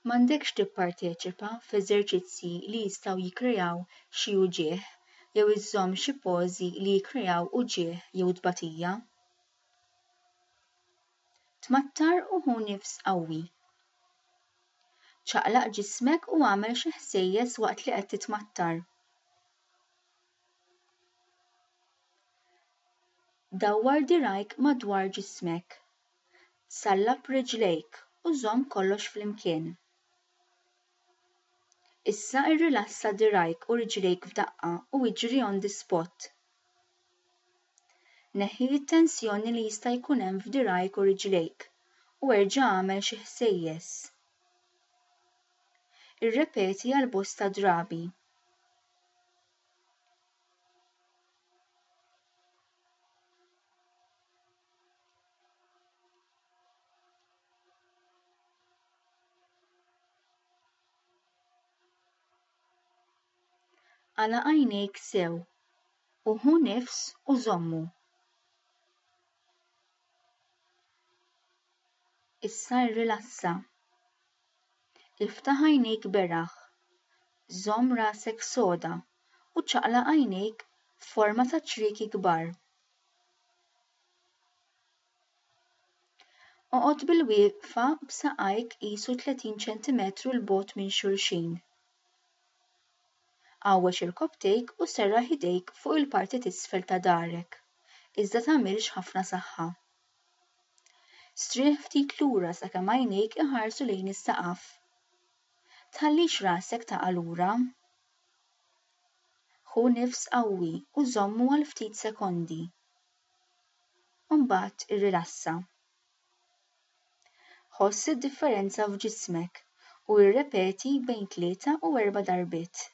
M'għandekx tipparteċipa f'eżerċizzji li jistgħu jikkreaw xi uġigħ jew iżżomm xi pożi li jikkreaw uġigħ jew tbatija. Tmattar u ħu nifs qawwi. Ċaqlaq ġismek u agħmel xi ħsejjes waqt li qed titmattar. Dawwar dirgħajk madwar ġismek. Sallab riġlejk u żomm kollox flimkien. Issa irrilassa dirgħajk u riġlejk f'daqqa u iġri on the spot. Neħħi t-tensjoni li jista' jkun hemm f'dirgħajk u riġlejk u erġa' agħmel xi ħsejjes. Irrepeti għal bosta drabi. Għalaq għajnejk sew u ħu nifs u żommu. Issa rrilassa. Iftaħ għajnejk beraħ. Żomm rasek soda u ċaqlaq għajnejk f'forma ta' ċrieki kbar. Oqgħod bilwieqfa b'saqajk qisu 30 ċentimetru 'l bogħod minn xulxin. Għawweġ irkopptejk u serraħ idejk fuq il-parti t'isfel ta' dahrek, iżda tagħmilx ħafna saħħa. Strieħ ftit lura sakemm għajnejk iħarsu lejn is-saqaf. Tħallix rasek taqa' lura. Ħu nifs qawwi u żommu għal ftit sekondi. U mbagħad irrilassa. Ħoss id-differenza f'ġismek u irrepeti bejn tlieta u erba' darbiet.